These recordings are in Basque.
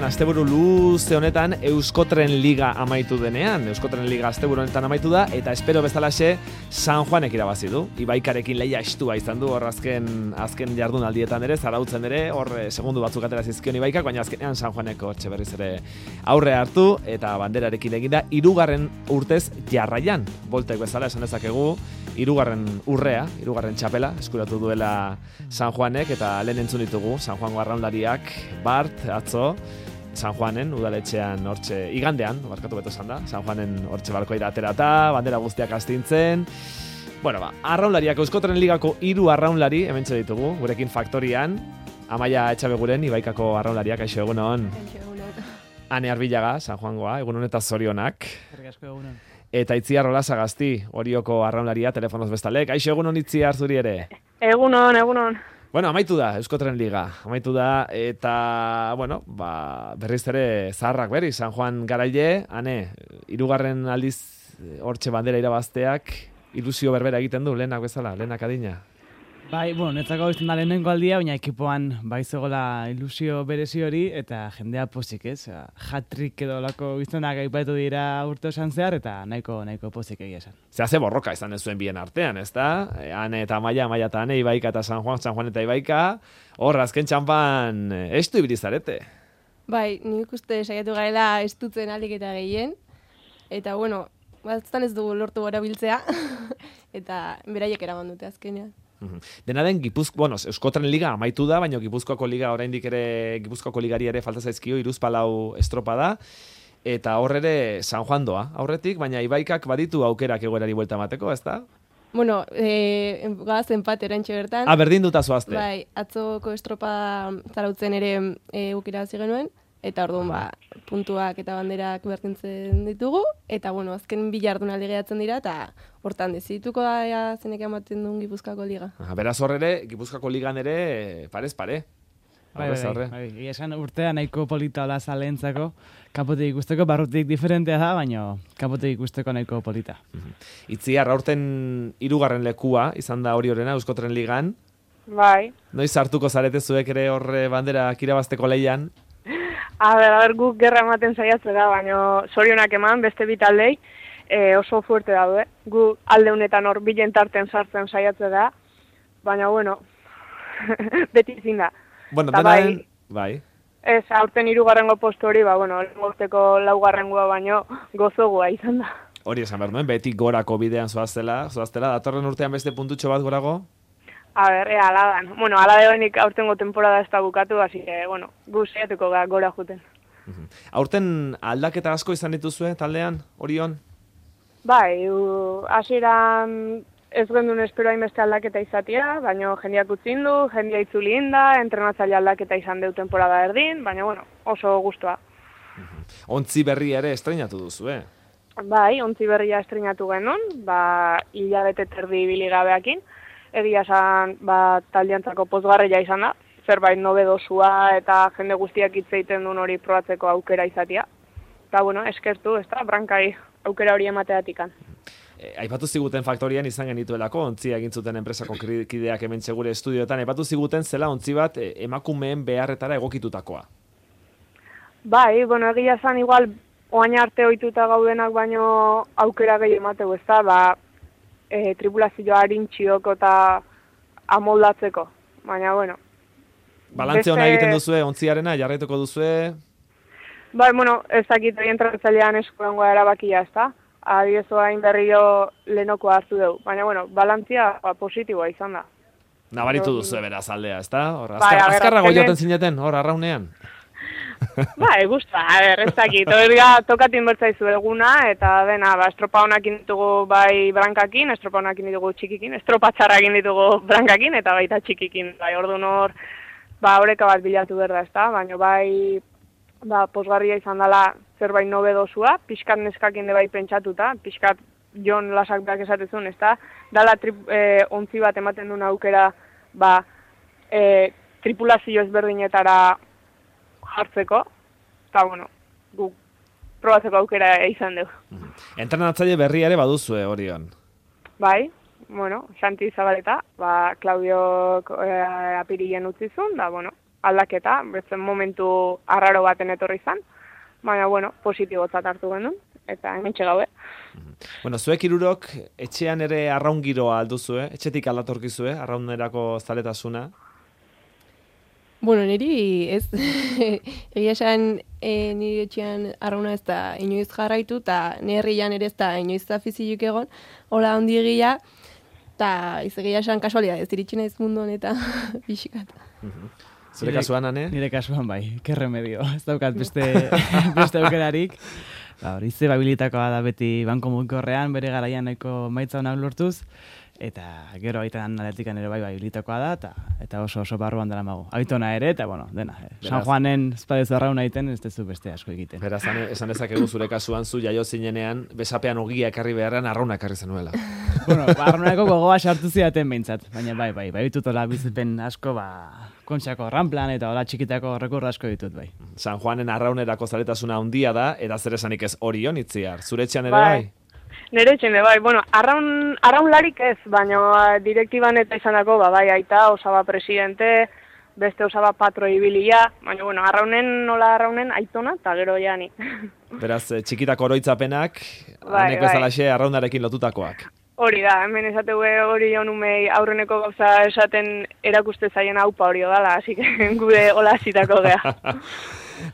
asteburu luze honetan Euskotren Liga amaitu denean. Euskotren Liga asteburu honetan amaitu da, eta espero bezalaxe San Juanek irabazi du. Ibaikarekin lehia estua izan du, hor azken jardunaldietan ere, zarautzen ere, hor segundu batzuk atera zizkion Ibaikak, baina azkenean San Juaneko hortxe berriz ere aurre hartu, eta banderarekin eginda, 3. urtez jarraian, boltek bezala esan dezakegu, 3. urrea, 3. txapela, eskuratu duela San Juanek, eta lehen entzun ditugu, San Juango arraunlariak, Bart, atzo, San Juanen, udaletxean hortxe, igandean, barkatu beto esan da, San Juanen hortxe balkoira aterata, bandera guztiak astintzen. Bueno, arraunlariak, Euskotren Ligako 3 arraunlari, hementxe ditugu, gurekin faktorian, Amaia Etxabeguren, Ibaikako arraunlariak, aixo egunon. Ane Arbilaga, San Juangoa, egunon eta zorionak. Egunon. Eta Itziar Olasagasti, Orioko arraunlaria, telefonoz bestalek. Aixo egunon Itziar zuri ere. Egunon. Bueno, amaitu da, Euskotren Liga. Amaitu da, eta, bueno, berriz ere zaharrak berri, San Juan garaile, ane, 3. aldiz hortxe bandera irabazteak, ilusio berbera egiten du, lehenak bezala, lehenak adina. Bai, netzako izan da lehenengo aldia, baina ekipoan bai zegoela ilusio berezi hori, eta jendea pozik, ez? Hat-trick edo lako izanak aipatu dira urte osan zehar, eta nahiko pozik egia esan. Ze borroka izan ez zuen bien artean, ez da? Ane eta Amaia eta Ane, Ibaika eta San Juan eta Ibaika, hor, azken txampan, estu ibilizarete. Bai, nik uste saiatu garela estutzen alik eta gehien, eta batztan ez dugu lortu gara biltzea, eta beraiek eraman dute azkenean. Dena den, Euskotren Liga amaitu da, baina Gipuzkoako Liga oraindik ere, Gipuzkoako Ligari ere falta zaizkio, 3-4 estropa da, eta hor ere San Juan doa aurretik, baina Ibaikak baditu aukerak egoerari buelta emateko, ez da? Gaz enpat erantxe bertan. Berdin duta zoazte. Bai, atzoko estropa zarautzen ere ukira hasi genuen, eta orduan puntuak eta banderak berdintzen ditugu, eta azken 2 jardunaldi gehatzen dira, eta hortan dezituko da zenek ematen duen Gipuzkoako Liga. Beraz hor ere, Gipuzkoako Ligan ere parez pare. Bai, esan urtea nahiko polita hola zalentzako, kapotik ikusteko, barrutik diferentea da, baina kapotik ikusteko nahiko polita. Itziar, aurten 3. lekua izan da hori horrena Euskotren Ligan. Bai. Noiz hartuko zarete zuek ere horre bandera kirabazteko lehian? Guk gerra ematen saiatzen da, baina zorionak eman, beste bitaldei oso fuerte daude. Gu alde honetan hor bilen tarten sartzen saiatzen da, baina beti zin da. Bai. Ez, aurten 3. postu hori, urteko 4. baino gozogua izan da. Hori esan behar nuen, beti gorako bidean zoaztela, datorren urtean beste puntutxo bat gorago? Ala dan. Ala debenik aurtengo temporada ez da bukatu, así que, gu saiatuko gora juten. Aurten aldaketa asko izan dituzue taldean, Orion? Bai, hasieran ez gendun espero hainbeste aldaketa izatea, baina jendeak utzin du, jendea itzuli inda, entrenatzaile aldaketa izan deu temporada erdin, baina oso gustua. Ontzi berri ere estreinatu duzu, Bai, ontzi berria estreinatu genuen, hilabete terdi biligabeakin, egia esan taldeantzako pozgarria izan da, zerbait nobedosua eta jende guztiak hitz egiten duen hori probatzeko aukera izatea. Eta eskertu, ez da, brankai aukera hori emateatikan. Aipatu ziguten faktorian izan genituelako, ontzia egin zuten enpresako kideak hemen gure estudioetan, aipatu ziguten zela ontzi bat emakumeen beharretara egokitutakoa. Bai, egia esan igual oain arte ohituta gaudenak baino aukera gehi emateu, ez da, tripulazioa harintxioko eta amoldatzeko, baina Balantze hona egiten duzue, ontziarena, jarraituko duzue? Bai, ez dakit egin tratzailean eskuengoa erabakia, ez da? Adiezo hain berrio lehenoko hartu dugu, baina balantzia positiboa izan da. Nabaritu duzue beraz aldea, ez da? Azkarrago joten zineten, hor, arraunean? Bai, guztua, ez dakit, tokatin bertzaizu eguna, eta dena, estropa honak ditugu bai brankakin, estropa honak ditugu txikikin, estropa txarrakin ditugu brankakin, eta baita txikikin, bai, orduan hor, horreka bat bilatu berda, ez da, baina bai, posgarria izan dela zerbait nobedosua, pixkat neskakin de bai pentsatuta, pixkat Jon Lasak berak esatezun, ez da, dala ontzi bat ematen duen aukera, tripulazio ezberdinetara hartzeko, eta guk probatzeko aukera izan dugu. Entrenatzaile berria ere baduzue, Orion? Bai, Xanti Zabaleta, Claudio apirilen utzizun, da, aldaketa, betzen momentu arraro baten etorri izan, baina, bueno, positibotzat hartu genuen, eta hementxe gaude. Bueno, zuek hirurok etxean ere arraun giroa alduzue, etxetik aldatorkizue, arraunerako zaletasuna. Bueno, niri ez, egia esan niri etxean arrauna ez da inoiz jarraitu, eta herrian ere ez da inoiz afiziluk egon, hola handi egia, eta egia esan kasualia ez iritsi naiz mundu honetan pixkat. Zure kasuan, Ane? Nire kasuan bai, ke remedio, ez daukat beste aukerarik. Hori ze babilitakoa da beti banko mugikorrean, bere garaian nahiko maitza honak lortuz, eta gero aitan atletikan ere bai babilitakoa da, eta oso barruan dela mago. Aitona ere, eta bueno, dena. San Juanen espadezu arrauna egiten, ez dezu beste asko egiten. Beraz, esan dezakegu zure kasuan zu jaio zinenean, besapean ogia ekarri beharrean arrauna ekarri zenuela. Bueno, arraunako gogoa sartu zidaten behintzat, baina bai ditutola bizipen asko, kontxako ranplan eta hola txikitako rekurra asko ditut bai. San Juanen arraunerako zaletasuna handia da, eta zer esanik ez Orion Itziar. Zure etxean ere bai? Nire etxean ere bai, bueno, arraunlarik ez, baina direktiban eta izanako, bai, aita, osaba presidente, beste osaba patro ibilia, baina, bueno, arraunen aitona, eta gero jani. Beraz, txikitako oroitzapenak, hanek bezalaxe arraunarekin lotutakoak. Hori da, hemen esateu hori honumei aurreneko gauza esaten erakuste zaien haupa hori dala, hasi gure hola hasitako gea.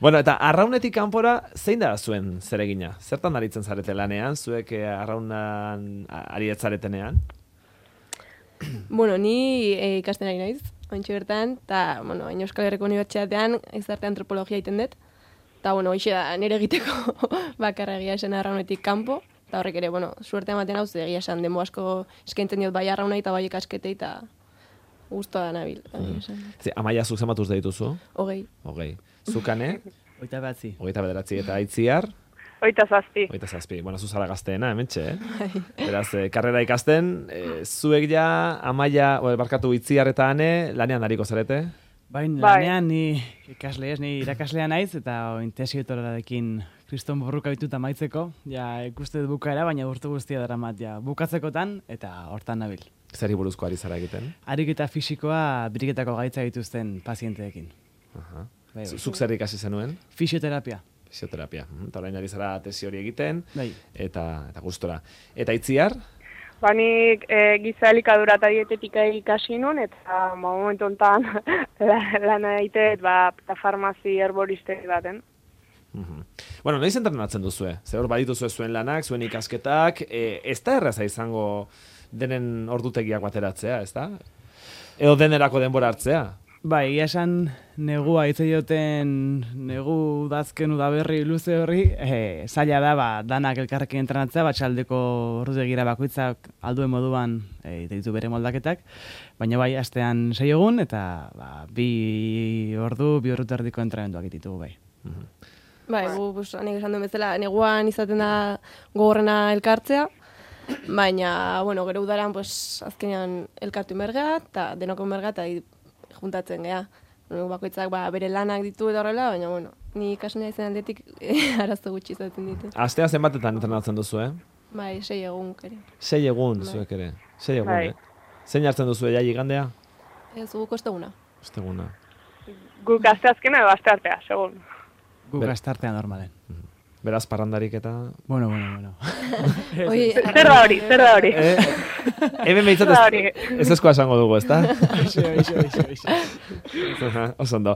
Bueno, eta arraunetik kanpora zein da zuen zeregina? Zertan aritzen zarete lanean, zuek arraunan arietzaretenean? Bueno, ni ikasten ari naiz, ointxe bertan, eta, bueno, Euskal Herriko Unibertsitatean gizarte antropologia egiten dut, eta, bueno, hoxe da, nire egiteko bakarra egia esan arraunetik kanpo, eta horrek ere, bueno, suerte ematen hau, egia esan, demo asko eskaintzen diot bai arraunai eta bai ikasketei, eta guztua da nabil. Amaia zuk zematuz da dituzu? 20. Zukane? 29. 29, eta Itziar? 27. 27. Bueno, zuzara gazteena, hementxe, Beraz, karrera ikasten, zuek ja, Amaia, barkatu Itziar eta Ane, lanean ariko zarete? Lanean ni ikasle ez, ni irakaslea naiz, eta intesiotororarekin kriston borruka bitut amaitzeko, ja ikuste dut bukaera, baina urte guztia daramat, ja bukatzekotan, eta hortan nabil. Zeri buruzko ari zara egiten? Ariketa fisikoa biriketako gaitza dituzten pazienteekin. Zuk zer ikasi zenuen? Fisioterapia. Fisioterapia. Eta orain ari zara tesi hori egiten, bai. Eta gustora. Eta Itziar? Nik giza elikadura eta dietetika ikasi nuen, eta momentu honetan lan egiten, eta farmazi herboristeri baten. Bueno, noiz entrenatzen duzue? Zer hor badituzue zuen lanak, zuen ikasketak, ez da erraza izango denen ordutegiak bateratzea, ez da? Edo denerako denbora hartzea? Bai, egia esan negua hitze joten negu udazken udaberri luze horri, zaila da danak elkarrekin entrenatzea, txaldeko ordutegira bakoitzak alduen moduan ditu bere moldaketak, baina bai astean 6 egun eta 2 ordu, 2 ordu erdiko entrenamenduak ditugu bai. Bai, nik esan duen bezala, neguan izaten da gogorrena elkartzea, baina, bueno, gero udaran, azkenean elkartu inbergea, eta denoko inbergea, eta juntatzen geha. Bakoitzak bere lanak ditu eta horrela, baina, bueno, ni ikasnea izan aldetik arazo gutxi izaten ditu. Astea zenbatetan entrenatzen duzu, Bai, 6 egun kere. 6 egun, zuek ere. 6 egun, Zein hartzen duzu, igandea? Ez, guk osteguna. Osteguna. Guk asteazkena edo asteartea, segun. Guk asteartea normalen. Beraz, parrandarik eta... Bueno. Zer da hori? Hemen behitzat ez eskoa esango dugu, ezta? Oso ondo.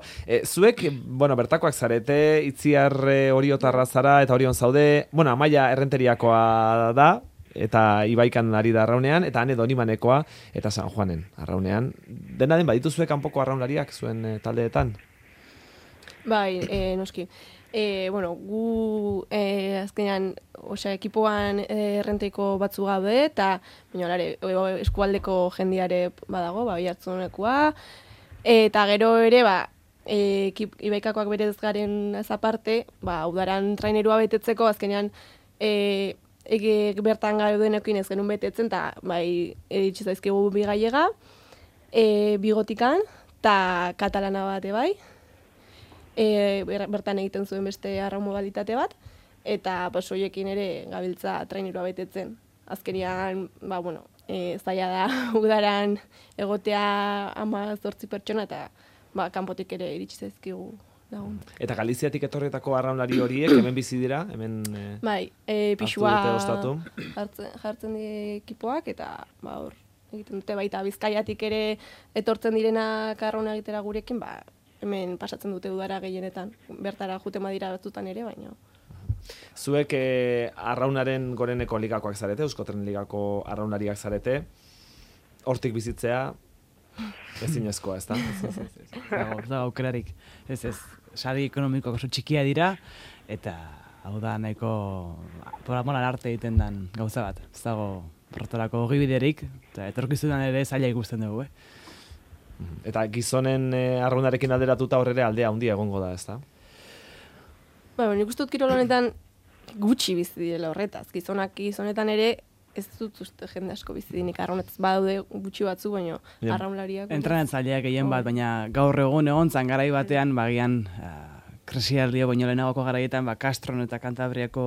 Zuek, bertakoak zarete, Itziar Oriotarra zara eta Orion zaude, Amaia Errenteriakoa da, eta Ibaikan ari da arraunean, eta Ane Donimanekoa, eta San Juanen arraunean. Dena den, baditu zuek kanpoko arraunlariak zuen taldeetan? Bai, noski. Gu azkenean ekipoan errenteiko batzu gabe eta eskualdeko jendiare badago, bihartzunekua, eta gero ere Ibaikakoak berez garen aparte, udaran trainerua betetzeko azkenean bertan gaudenekin ez genuen betetzen, eta itxizaizkigu bi gallega, bigotikan, eta katalana bate bai, bertan egiten zuen beste arraun modalitate bat, eta hoiekin ere gabiltza trainerua betetzen. Azkenian, zaila da udaran egotea 18 pertsona, eta kanpotik ere iritsi zaizkigu lagun. Eta Galiziatik etorretako arraunlari horiek hemen bizi dira, hemen Bai, hartu pixua dute ostatu. jartzen die ekipoak, eta hor, egiten dute baita Bizkaiatik ere etortzen direnak arrauna egitera gurekin, hemen pasatzen dute udara gehienetan. Bertara juten badira batzutan ere, baina. Zuek arraunaren goreneko ligakoak zarete, Euskotren ligako arraunariak zarete, hortik bizitzea ezinezkoa, ez da? Ez dago aukerarik. Ez, sari ekonomikoak oso txikia dira, eta hau da nahiko por amor al arte egiten den gauza bat. Ez dago horretarako ogibiderik, eta etorkizunan ere zaila ikusten dugu, Eta gizonen arraunarekin alderatuta horre aldea handia egongo da, ez da? Nik uste dut kirol honetan gutxi bizi direla horretaz. Gizonetan ere ez dut uste jende asko bizi dinik arraunetaz badaude gutxi batzu, baina arraunlariak. Entrenatzaileak gehien bat, baina gaur egun egontzan garai batean, bagian krisialdia baino lehenagoko garaietan, Castron eta Kantabriako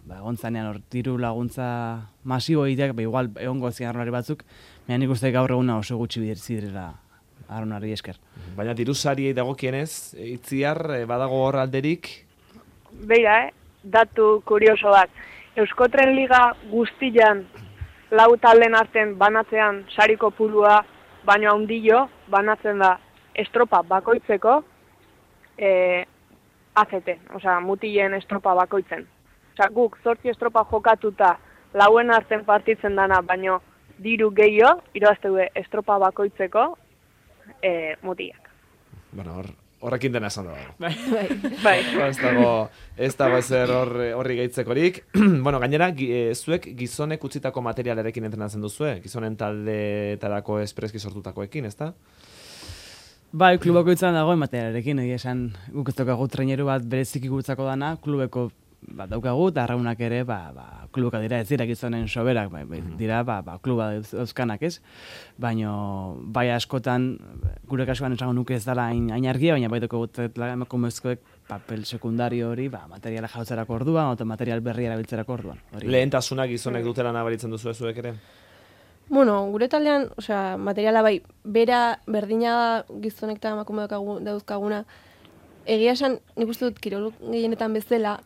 egontzanean hor diru laguntza masibo egiteak, igual egongo zian arraunlari batzuk, baina nik uste gaur eguna oso gutxi direla arraunari esker. Baina dirusariei dagokienez, Itziar, badago hor alderik? Beira, datu kurioso bat. Euskotren Liga guztian lau talden artean banatzean sariko pulua baino handio banatzen da estropa bakoitzeko ACT, osea mutilen estropa bakoitzen. Osea guk 8 estropa jokatuta lauen artean partitzen dana baino diru gehiago irabazte du estropa bakoitzeko mutilak. Bueno, horrekin dena esan dago. Bai. Ez dago ezer horri gehitzekorik. Bueno, gainera, zuek gizonek utzitako materialarekin entrenatzen duzue? Gizonen taldeetarako espreski sortutakoekin, ez da? Bai, klubako izan dagoen materialarekin, egia esan guk ez daukagu traineru bat bereziki gutzako dana, klubeko bat daukagu, eta arraunak ere, klubaka dira ez dira gizonen soberak, dira, kluba euskanak ez, baina bai askotan, gure kasuan esango nuke ez dela hain argia, baina baitoko gutetela emakumezkoek papel sekundario hori, materiala jautzerako orduan, eta material berri erabiltzerako orduan. Lehentasuna gizonek dutela nabaritzen duzu zuek ere? Bueno, gure taldean, materiala bai, bera berdina gizonek eta emakume dauzkaguna, egia esan, nik uste dut kirol gehienetan bezala,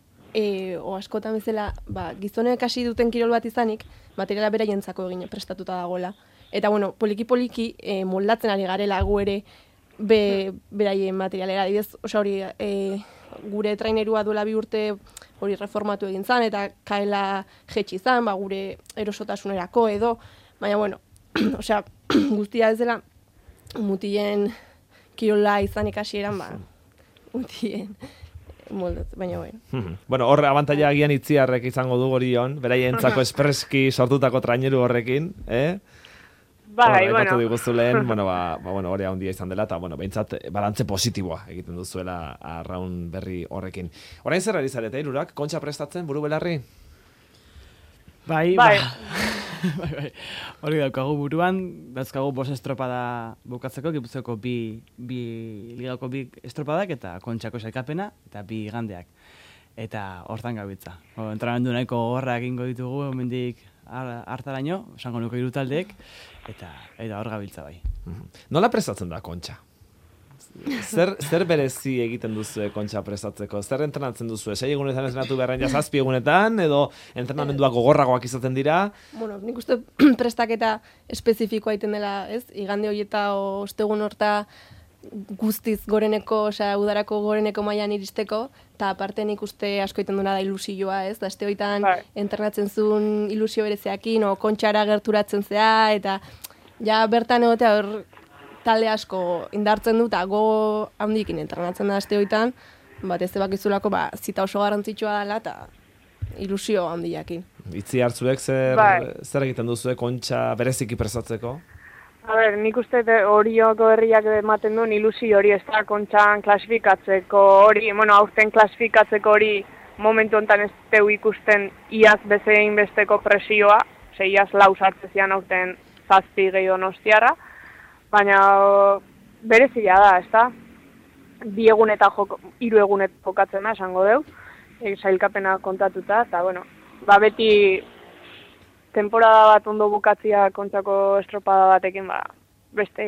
o askotan bezala, gizonek hasi duten kirol bat izanik, materiala beraientzako egin prestatuta dagoela. Eta, poliki-poliki moldatzen ari garela gu ere beraien materialera. Adibidez, hori, gure trainerua duela 2 urte hori reformatu egin zan, eta kaela jetxi zan, gure erosotasunerako edo, baina, guztia ez dela mutilen kirola izanik hasieran, mutilen moldatzen, baina Bueno, hor abantaila agian Itziarrek izango du Orion, beraientzako espreski sortutako traineru horrekin, Bai, bueno. Diguzu lehen, hori handia izan dela, eta, behintzat, balantze positiboa egiten duzuela arraun berri horrekin. Orain zer ari zarete, hirurak? Kontxa prestatzen, buru belarri? Bai. Hori daukagu buruan, dauzkagu 5 estropada bukatzeko, Gipuzkoako ligako 2 estropadak eta Kontxako sailkapena eta 2 igandeak. Eta hortan gabiltza. Entrenamendu nahiko gogorra egingo ditugu, hemendik hartaraino, esango nuke 3 taldeek, eta hor gabiltza bai. Nola prestatzen da Kontxa? Zer berezi egiten duzu Kontxa prestatzeko? Zer entrenatzen duzu? 6 egunetan entrenatu beharren 7 egunetan, edo entrenamenduak gogorragoak izaten dira? Nik uste prestaketa espezifikoa egiten dela, ez? Igande horieta ostegun horta guztiz goreneko, udarako goreneko mailan iristeko, eta aparte nik uste asko egiten duena da ilusioa, ez? Da, aste horietan entrenatzen zuen ilusio bereziakin, Kontxara gerturatzen zea, eta ja bertan egotea hor talde asko indartzen du, eta go handikin entrenatzen da aste horietan, batez bakizulako zita oso garrantzitsua dela, eta ilusio handiakin. Itzi hartzuek zer egiten duzu Kontxa bereziki prestatzeko? Nik uste Orioko herriak ematen duen ilusio hori ez da Kontxan klasifikatzeko hori, aurten klasifikatzeko hori momentu honetan ez teu ikusten iaz bezein besteko presioa, iaz 4 sartzezian aurten 7 gehi Donostiarra, baina berezia da, ez da? 2 egun eta 3 egunet jokatzen da, esango deu, sailkapena kontatuta, eta beti temporada bat ondo bukatzia Kontxako estropada batekin, beste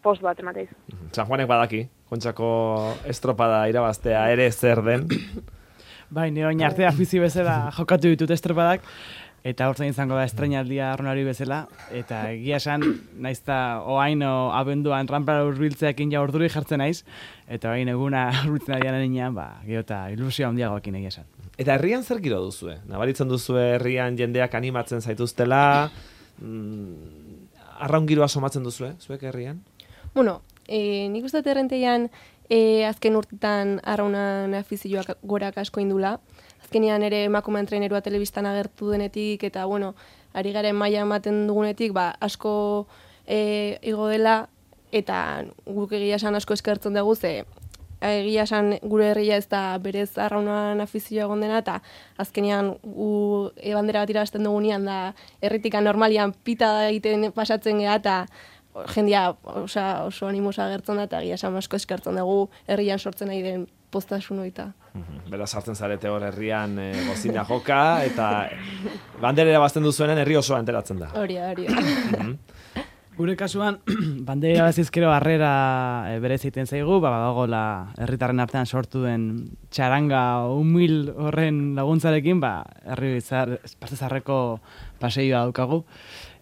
post bat emateiz. San Juanek badaki, Kontxako estropada irabaztea ere zer den. Bai, nire oin arte afizi bezala jokatu ditut estropadak, eta hortzen izango da estreinaldia arronari bezala, eta egia esan, naizta oaino abenduan rampara urbiltzeakin ja orduri jartzen naiz, eta oain eguna urbiltzen adian enean, geota ilusioa handiagoekin egia esan. Eta herrian zer giro duzue? Nabaritzen duzue herrian jendeak animatzen zaituztela, arraun giroa somatzen duzue, zuek herrian? Bueno, nik uste errenteian azken urtetan arraunan afizioak gorak asko indula. Azkenean ere emakumean trainerua telebistan agertu denetik, eta bueno, ari garen maila ematen dugunetik, asko igo dela, eta guk egia esan asko eskertzen dugu, ze egia esan gure herria ez da berez arraunan afizioa egon dena, eta azkenean gu bandera bat irabazten dugunean da herritika normalian pita egiten pasatzen geha, eta jendia oso animosa agertzen da, eta egia esan asko eskertzen dugu herrian sortzen nahi den postasun hoita. Beraz sartzen zarete hor herrian gozina joka, eta banderera bazten duzuenen herri osoa enteratzen da. Hori. Gure kasuan, bandera bazizkero harrera berez egiten zaigu, badagoela herritarren artean sortu den txaranga humil horren laguntzarekin, herri Partezarreko paseioa daukagu,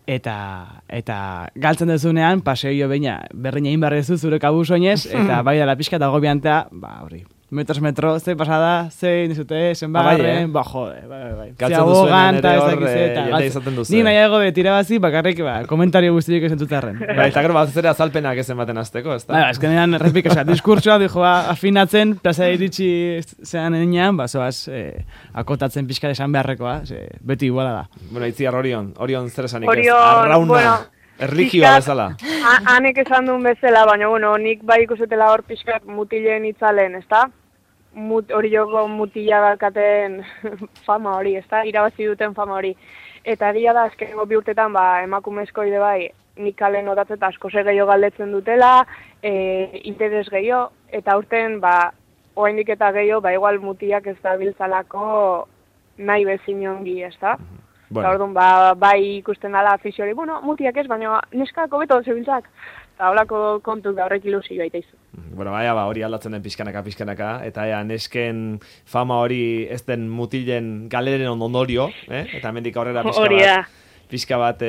eta galtzen dezunean, paseio berdin egin behar dezu zure kabuz oinez, eta bai dela pixka eta gobiantea, hori, metro, ze pasada, ze nizute, zenbagarren, jode, bai. Galtzen duzuenean ere hor, jende izaten duzu. Ni nahiago tirabazi, bakarrik, komentario guztiak esan zutarren. Eta gero bat zera azalpenak ez ematen azteko, ez da? Ezkenean, errepik, diskurtsoa, afinatzen, plaza iritsi zean enean, zoaz, akotatzen pixka esan beharrekoa, beti iguala da. Bueno, Itziar Orion zer esanik ez? Arrauna, erligioa bezala. Hanek esan duen bezala, baina, bueno, nik bai ikusetela hor pixkat mutilen itzalen, ez da? Hori joko mutila balkaten fama hori, ez da? Irabazi duten fama hori. Eta egia da, azkenengo bi urtetan, emakumezko ide bai, nik kalen notatzen eta asko ze gehiago galdetzen dutela, interes gehiago, eta urten, oraindik eta gehiago, igual mutilak ez da biltzalako nahi bezin ongi, ez da? Bueno. Orduan, bai ikusten dala afiziori, mutiak ez, baina neskako beto zebiltzak. Eta holako kontu da horrek ilusioa itaizu. Bueno, hori aldatzen den pixkanaka, eta nesken fama hori ez den mutilen galeren ondorio, eta hemendik aurrera pixka bat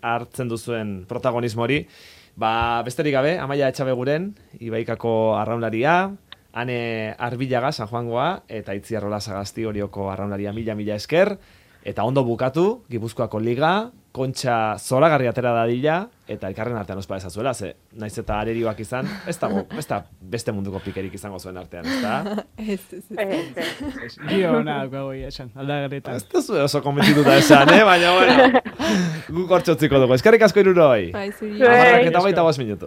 hartzen duzuen protagonismo hori. Besterik gabe, Amaia Etxabeguren, Ibaikako arraunlaria, Ane Arbilaga, San Juangoa, eta Itziar Sagasti Orioko arraunlaria mila esker. Eta ondo bukatu, Gipuzkoako Liga, Kontxa zoragarri atera dadila, eta elkarren artean ospa ezazuela, ze naiz eta arerioak izan, ez da beste munduko pikerik izango zuen artean, ez da? Ez. Gio hona daukago esan, aldagarretan. Ez da zuen oso konbentituta esan, baina, bueno, guk hortxotziko dugu. Eskerrik asko iruroi. Bai, zuri. 10:25 minutu.